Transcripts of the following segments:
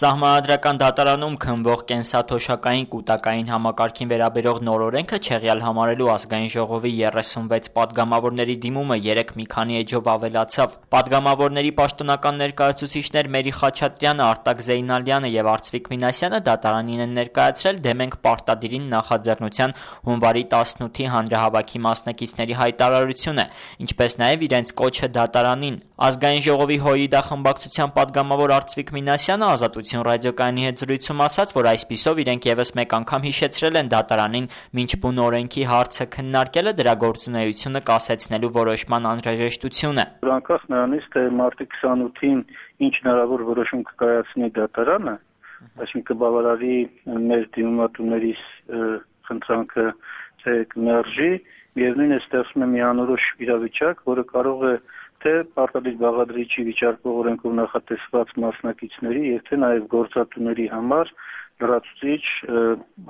Սահմանադրական դատարանում քննվող կենսաթոշակային կուտակային համակարգին վերաբերող նոր օրենքը չեղյալ համարելու Ազգային ժողովի 36 պատգամավորների դիմումը երեկ մի քանի էջով ավելացավ։ Պատգամավորների պաշտոնական ներկայացուցիչներ Մերի Խաչատրյանը, Արտակ Զեյնալյանը եւ Արծվիկ Մինասյանը դատարանին են ներկայացրել դեմ ենք պարտադիրին նախաձեռնության հունվարի 18-ի հանրահավաքի մասնակիցների հայտարարությունը, ինչպես նաեւ իրենց կոչը դատարանին։ Ազգային ժողովի ՀՅԴ խմբակցության պատգամավոր Արծվիկ Մինասյանը Ազատություն ռադիոկայանի հետ զրույցում ասաց, որ այսպիսով իրենք եւս մեկ անգամ հիշեցրել են դատարանին մինչ բուն օրենքի հարցը քննարկելը դրա գործունեությունը կասեցնելու որոշման անհրաժեշտությունը։ Անկախ նրանից, թե մարտի 28-ին ինչ հնարավոր որոշում կկայացնի դատարանը, այսինքն կբավարարի մեր դիմումատուների խնդրանքը, թե կմերժի, միևնույն է ստեղծում է մի անորոշ իրավիճակ, որը կարող է թե պարտադիր բաղադրիչի վիճարկող օրենքով նախատեսված մասնակիցների եւ թե նաեւ գործատուների համար լրացուցիչ,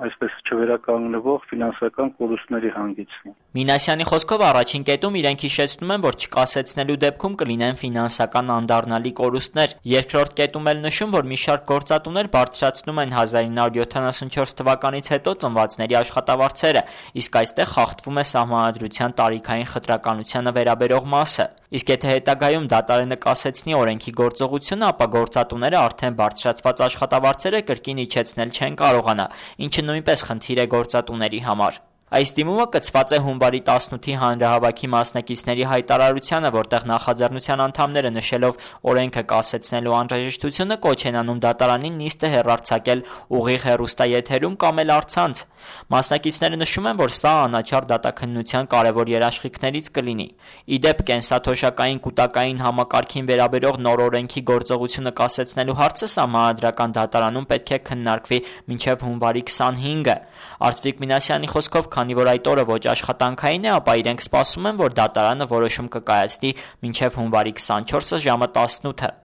այսպես չվերականգնվող ֆինանսական կորուստների հանգեցնի։ Մինասյանի խոսքով առաջին կետում իրենք հիշեցնում են, որ չկասեցնելու դեպքում կլինեն ֆինանսական անդառնալի կորուստներ։ Երկրորդ կետում էլ նշում, որ մի շարք գործատուներ բարձրացնում են 1974 թվականից հետո ծնվածների աշխատավարձերը, իսկ այստեղ խախտվում է Սահմանադրության տարիքային խտրականությանը վերաբերող մասը։ Իսկ եթե հետագայում դատարանը կասեցնի օրենքի գործողությունը, ապա գործատուները արդեն բարձրացված աշխատավարձերը կրկին իջեցնել չեն կարողանա, ինչը նույնպես խնդիր է գործատուների համար։ Այս դիմումը կցված է հունվարի 18-ի հանրահավաքի մասնակիցների հայտարարությանը, որտեղ նախաձեռնության անդամները նշելով օրենքը կասեցնելու անհրաժեշտությունը կոչ են անում դատարանին նիստը հեռարձակել ուղիղ հեռուստաեթերում կամ էլ առցանց։ Մասնակիցները նշում են, որ սա անաչառ դատաքննության կարևոր երաշխիքներից կլինի։ Իդեպ կենսաթոշակային կուտակային համակարգին վերաբերող նոր օրենքի գործողությունը կասեցնելու հարցը Սահմանադրական դատարանում պետք է քննարկվի մինչև հունվարի 25-ը։ Արծվիկ Մինասյանի խոսքով, քանի որ այդ օրը ոչ աշխատանքային է, ապա իրենք սպասում են, որ դատարանը որոշում կկայացնի մինչև հունվարի 24-ը ժամը 18-ը։